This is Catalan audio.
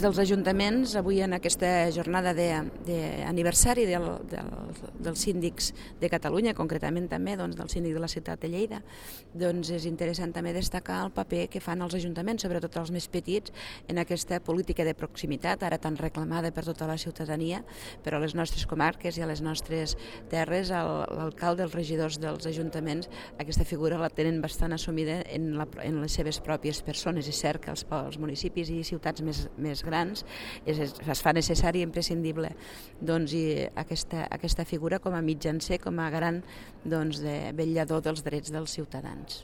Des dels ajuntaments, avui en aquesta jornada d'aniversari dels síndics de Catalunya, concretament també del síndic de la ciutat de Lleida, és interessant també destacar el paper que fan els ajuntaments, sobretot els més petits, en aquesta política de proximitat, ara tan reclamada per tota la ciutadania, però a les nostres comarques i a les nostres terres, l'alcalde, els regidors dels ajuntaments, aquesta figura la tenen bastant assumida en les seves pròpies persones. És cert que els municipis i ciutats més grans es fa necessari i imprescindible aquesta figura com a mitjancer, com a garant de vetllador dels drets dels ciutadans.